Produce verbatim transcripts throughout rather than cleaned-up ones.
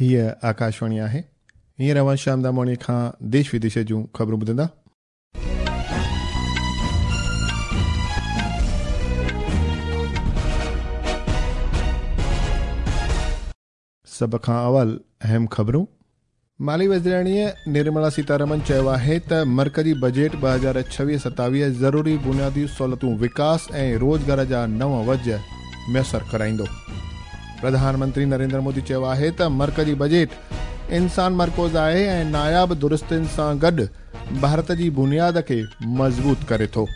हीअ आकाशवाणी आहे। हींअर अव्हां श्याम दामोणी खां देश विदेश जूं ख़बरूं ॿुधंदा। सभ खां अवल अहम ख़बरूं। माली वज़ीराणीअ निर्मला सीतारमन चयो आहे त मर्कज़ी बजट ॿ हज़ार छवीह सतावीह ज़रूरी बुनियादी सहूलियतूं विकास ऐं रोज़गार जा नवां वज मयसर कराईंदो। प्रधानमंत्री नरेंद्र मोदी चयो आहे त मर्कज़ी बजट इंसान मरकूज़ आहे ऐं नायाब दुरुस्तियुनि सां गॾु भारत जी बुनियाद खे मज़बूत करे थो।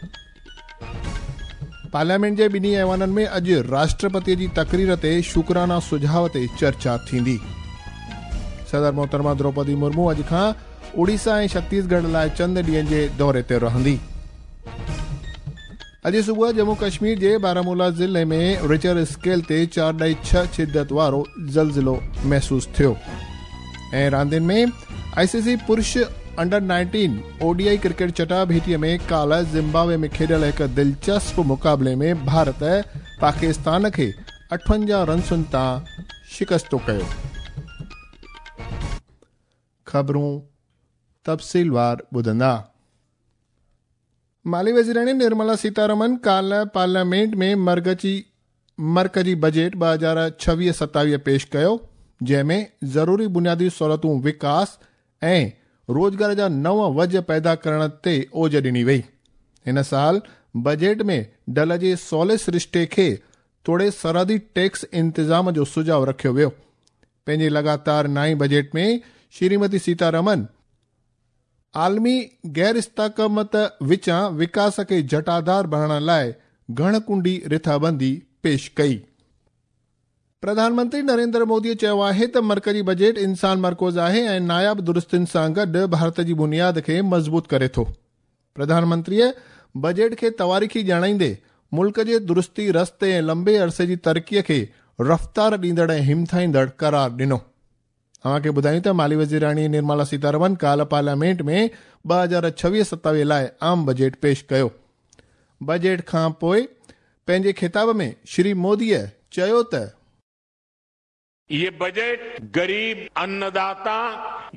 पार्लियामेंट जे ॿिन्ही ऐवाननि में अॼु राष्ट्रपतीअ जी तकरीर ते शुक्राना सुझाव ते चर्चा थींदी। सदर मोहतरमा द्रौपदी मुर्मू अॼु खां उड़ीसा ऐं छत्तीसगढ़ लाइ चंद ॾींहनि जे दौरे ते रहंदी। अॼु सुबुह जम्मू कश्मीर जे बारामूला ज़िले में रिचर स्केल ते चार ॾाई छह शिदत वारो ज़लज़िलो महसूसु थियो। ऐं रांदियुनि में आईसीसी पुरुष अंडर नाइनटीन ओडीआई क्रिकेट चटाभेटीअ में काल्ह ज़िम्बाब्वे में खेॾियल हिकु दिलचस्प मुक़ाबले में भारत पाकिस्तान खे अठवंजाह रनसुनि तां शिकस्तो कयो। ख़बरूं तफ़सीलवार ॿुधंदा। माली वज़ीराणी निर्मला सीतारमन काल्ह पार्लियामेंट में मर्कज़ी मर्कज़ी बजट ॿ हज़ार छवीह सतावीह पेश कयो, जंहिंमें ज़रूरी बुनियादी सहूलियतूं विकास ऐं रोज़गार जा नवां वज पैदा करण ते ओज ॾिनी वई। हिन साल बजट में डल जे सौले सरिश्ते खे तोड़े सरहदी टैक्स इंतिज़ाम जो सुझाव रखियो वियो। पंहिंजे लगातार नाई बजट में श्रीमती सीतारमन आलमी गैर इस्तिकामत विचां विकास खे जटादार बणाइण लाइ घणकुंडी रिथाबंदी पेश कई। प्रधानमंत्री नरेंद्र मोदीअ चयो आहे त मर्कज़ी बजट इंसान मरकूज़ आहे ऐं नायाब दुरुस्तियुनि सां गॾु भारत जी बुनियाद खे मज़बूत करे थो। प्रधानमंत्रीअ बजट खे तवारीख़ी ॼाणाईंदे मुल्क जे दुरुस्ती रस्ते ऐं लंबे अरसे जी तरक़ीअ खे रफ़्तार ॾींदड़ ऐं हिमथाईंदड़ करार ॾिनो। अव्हांखे ॿुधायूं त माली वज़ीराणी निर्मला सीतारमन काल्ह पार्लियामेंट में ॿ हज़ार छवीह सतावीह लाइ आम बजट पेश कयो। बजट खां पोइ पंहिंजे ख़िताब में श्री मोदीअ चयो त ये बजट गरीब, अन्नदाता,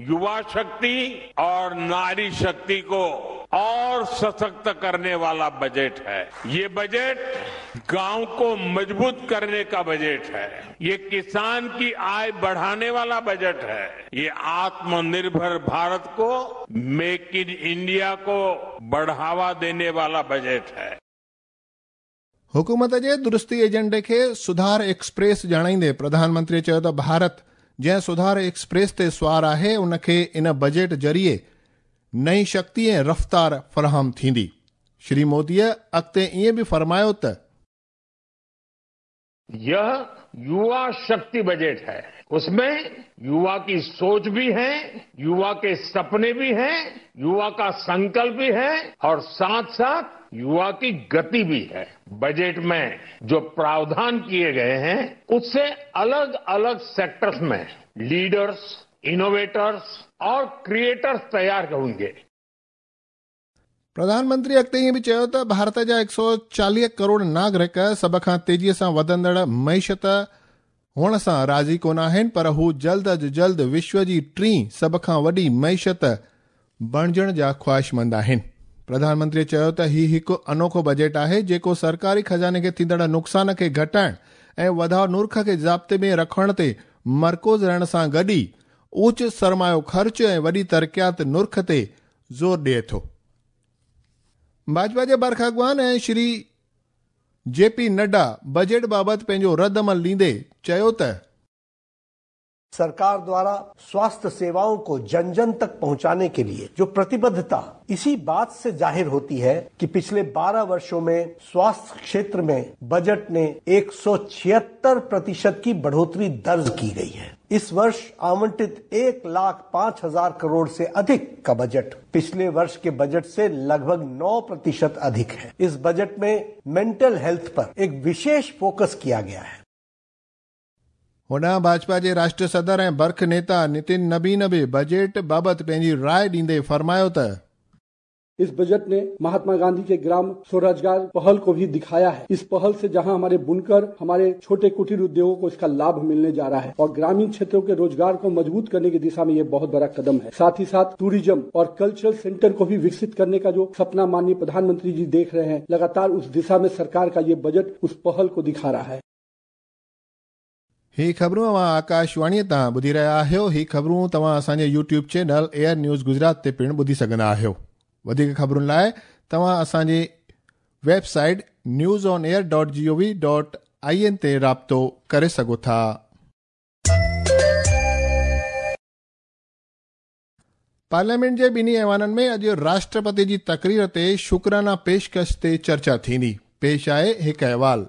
युवा शक्ति और नारी शक्ति को और सशक्त करने वाला बजट है। ये बजट गांव को मजबूत करने का बजट है। ये किसान की आय बढ़ाने वाला बजट है। ये आत्मनिर्भर भारत को, मेक इन इंडिया को बढ़ावा देने वाला बजट है। हुकूमत जे दुरुस्ती एजेंडे खे सुधार एक्सप्रेस ॼाणाईंदे प्रधानमंत्री चयो त भारत जंहिं सुधार एक्सप्रेस ते सवार आहे उनखे इन बजट ज़रिए नई शक्ति ऐं रफ़्तार फराहम थींदी। श्री मोदीअ अॻिते ईअं बि फरमायो त यह युवा शक्ति बजट है। उसमें युवा की सोच भी है, युवा के सपने भी हैं, युवा का संकल्प भी है और साथ साथ युवा की गति भी है। बजट में जो प्रावधान किए गए हैं उससे अलग अलग सेक्टर्स में लीडर्स, इनोवेटर्स और क्रिएटर्स तैयार होंगे। प्रधानमंत्री अॻिते ईअं बि चयो त भारत जा हिकु सौ चालीह करोड़ नागरिक सभ खां तेज़ीअ सां वधंदड़ मईशत हुअण सां राज़ी कोन आहिनि, पर हू जल्द अज़ जल्द विश्व जी टीं सभ खां वॾी मईशत बणिजण जा ख़्वाहिशमंद आहिनि। प्रधानमंत्री चयो त हीउ हिकु अनोखो बजट आहे जेको सरकारी ख़ज़ाने खे थींदड़ नुक़सान खे घटाइण ऐं वधाव नुर्ख खे ज़ाब्ते में रखण ते मरकूज़ रहण सां गॾु ई ऊच सरमायो ख़र्च ऐं वॾी तरक़ियात नुर्ख ते ज़ोर ॾिए थो। भाजपा जे बरख अॻवान ऐं Shri J P Nadda budget बाबति पंहिंजो रद्द अमल ॾींदे चयो त सरकार द्वारा स्वास्थ्य सेवाओं को जन जन तक पहुंचाने के लिए जो प्रतिबद्धता इसी बात से जाहिर होती है कि पिछले बारह वर्षों में स्वास्थ्य क्षेत्र में बजट ने एक सौ छिहत्तर प्रतिशत की बढ़ोतरी दर्ज की गई है। इस वर्ष आवंटित एक लाख पांच हजार करोड़ से अधिक का बजट पिछले वर्ष के बजट से लगभग नौ प्रतिशत अधिक है। इस बजट में मेंटल हेल्थ पर एक विशेष फोकस किया गया है। होॾां भाजपा जे राष्ट्रीय सदर ऐं बर्ख नेता नितिन नबीन बि बजट बाबति पंहिंजी राय ॾींदे फरमायो त इस बजट ने महात्मा गांधी के ग्राम स्वरोजगार पहल को भी दिखाया है। इस पहल से जहां हमारे बुनकर, हमारे छोटे कुटीर उद्योगों को इसका लाभ मिलने जा रहा है और ग्रामीण क्षेत्रों के रोजगार को मजबूत करने की दिशा में ये बहुत बड़ा कदम है। साथ ही साथ टूरिज्म और कल्चरल सेंटर को भी विकसित करने का जो सपना माननीय प्रधानमंत्री जी देख रहे हैं, लगातार उस दिशा में सरकार का ये बजट उस पहल को दिखा रहा है। ही ख़बरूं तव्हां आकाशवाणीअ तां ॿुधी रहिया आहियो। ही ख़बरूं तव्हां असांजे YouTube channel Air News Gujarat ते पिणु ॿुधी सघंदा आहियो। वधीक ख़बरुनि लाइ तव्हां असांजी website news on air dot G O V dot I N ते राब्तो करे सघो था। पार्लियामेंट जे ॿिन्ही ऐवाननि में अॼु राष्ट्रपति जी तकरीर ते शुक्राना पेशकश ते चर्चा थींदी। पेश आहे हिकु अहवाल।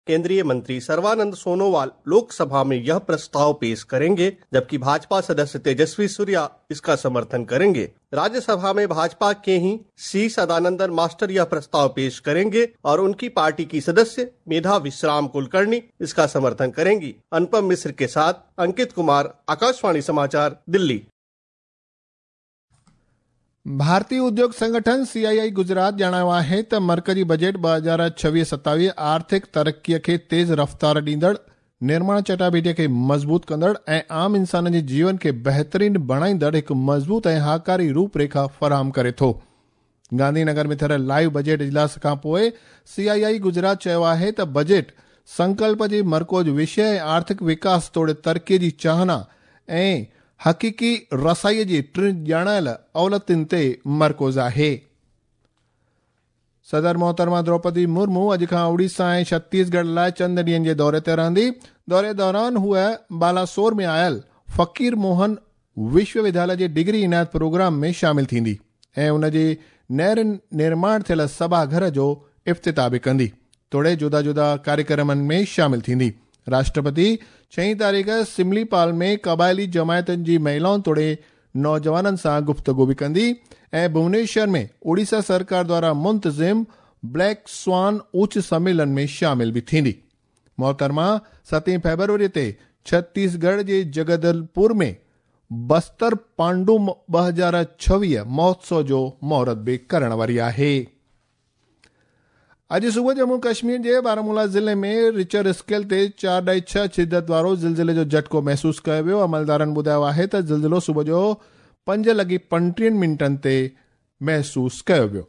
केंद्रीय मंत्री सर्बानंद सोनोवाल लोकसभा में यह प्रस्ताव पेश करेंगे, जबकि भाजपा सदस्य तेजस्वी सूर्या इसका समर्थन करेंगे। राज्यसभा में भाजपा के ही सी सदानंदन मास्टर यह प्रस्ताव पेश करेंगे और उनकी पार्टी की सदस्य मेधा विश्राम कुलकर्णी इसका समर्थन करेंगी। अनुपम मिश्र के साथ अंकित कुमार, आकाशवाणी समाचार, दिल्ली। भारतीय उद्योग संगठन सीआईआई गुजरात ॼाणायो आहे त मर्कज़ी बजट ॿ हज़ार छवीह सतावीह आर्थिक तरक़ीअ खे तेज़ रफ़्तार ॾींदड़, निर्माण चटाभेटीअ खे मज़बूत कंदड़ ऐं आम इंसाननि जे जीवन खे बहितरीन बणाईंदड़ हिकु मज़बूत ऐं हाकारी रूपरेखा फराहम करे थो। गांधीनगर में थियल लाइव बजट इजलास खां पोइ सीआईआई गुजरात चयो आहे त बजट संकल्प जे मर्कोज़ विषय ऐं आर्थिक विकास तोड़े तरक़ीअ जी चाहना ऐं हक़ीक़ी रसाईअ जी टिनि ॼाणायल अवलतुनि ते मर्कोज़ आहे। सदर मोहतरमा द्रौपदी मुर्मू अॼु खां उड़ीसा ऐं छत्तीसगढ़ लाइ चंद ॾींहनि जे दौरे ते रहंदी। दौरे दौरान हूअ बालासोर में आयल फ़क़ीर मोहन विश्वविद्यालय जे डिग्री इनायत प्रोग्राम में शामिल थींदी ऐं उन जे नए निर्माण थियल सभाघर जो इफ़्तिताह बि कंदी, तोड़े जुदा जुदा कार्यक्रमनि में शामिल थींदी। राष्ट्रपति छहीं तारीख़ सिमलीपाल में क़बाइली जमायतुनि जी महिलाउनि तोड़े नौजवाननि सां गुफ़्तगू बि कंदी ऐं भुवनेश्वर में उड़ीसा सरकार द्वारा मुंतज़िम ब्लैक स्वान उच्च सम्मेलन में शामिल बि थींदी। मोहतरमा सतें फ़ेब्रुअरी ते छत्तीसगढ़ जे जगदलपुर में बस्तर पांडुम ॿ हज़ार छवीह महोत्सव जो मुहूर्त बि करण वारी आहे। अॼु सुबुह जम्मू कश्मीर जे बारामूला ज़िले में रिचर स्केल ते चार ॾाई छह शिदत वारो ज़िलज़िले जो झटको महसूसु कयो वियो। अमलदारनि ॿुधायो आहे त ज़िलज़िलो सुबुह जो पंज लॻी पंटीहनि मिंटनि ते महसूसु कयो वियो।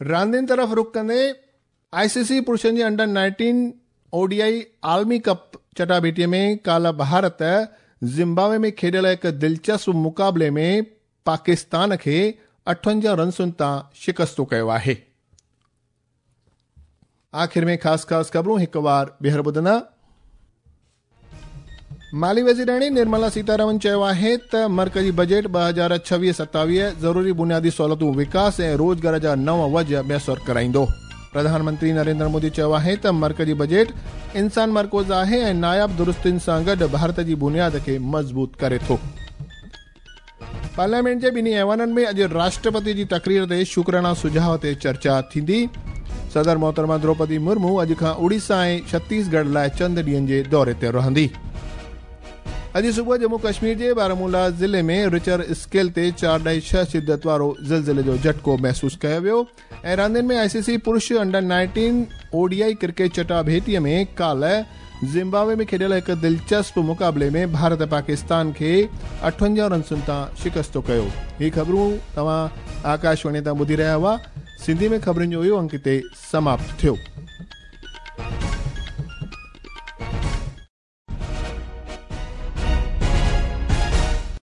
रांदियुनि तरफ़ रुख कंदे आईसीसी पुरुषनि जे अंडर नाइनटीन ओडीआई आलमी कप चटाभेटीअ में काल्ह भारत ज़िम्बाब्वे में खेॾियल हिकु दिलचस्प मुक़ाबले में पाकिस्तान खे अठवंजाह रनसुनि तां शिकस्तो कयो आहे। आख़िर में ख़ासि ख़ासि ख़बरूं हिकु बार ॿीहर ॿुधंदा। माली वज़ीराणी निर्मला सीतारमण चयो आहे त मर्कज़ी बजट ॿ हज़ार छवीह सतावीह ज़रूरी बुनियादी सहूलियतूं विकास ऐं रोज़गार जा नवां वज मयसर कराईंदो। प्रधानमंत्री नरेंद्र मोदी चयो आहे त मर्कज़ी बजट इंसान मर्कोज़ आहे ऐं नायाब दुरुस्तियुनि सां गॾु भारत जी बुनियाद खे मज़बूत करे थो। पार्लियामेंट जे ॿिन्ही ऐवाननि में अॼु राष्ट्रपति जी तकरीर ते शुक्राना सुझाव ते चर्चा थींदी। सदर मोहतरमा द्रौपदी मुर्मू अॼु खां उड़ीसा ऐं छत्तीसगढ़ लाइ चंद ॾींहनि जे दौरे ते रहंदी। अॼु सुबुह जम्मू कश्मीर जे बारामूला ज़िले में रिचर स्केल ते चार ॾाई छह शिदत वारो ज़िलज़िले जो झटको महसूसु कयो वियो। ऐं रांदियुनि में आईसीसी पुरुष अंडर नाइनटीन ओडीआई क्रिकेट चटाभेटीअ में काल्ह ज़िम्बाब्वे में खेॾियल हिकु दिलचस्प मुक़ाबले में भारत पाकिस्तान खे अठवंजाह रनसुनि तां शिकस्तो कयो। ही ख़बरूं तव्हां आकाशवाणी तां ॿुधी रहिया हुआ। सिंधी में ख़बरुनि जो इहो अंक हिते समाप्त थियो।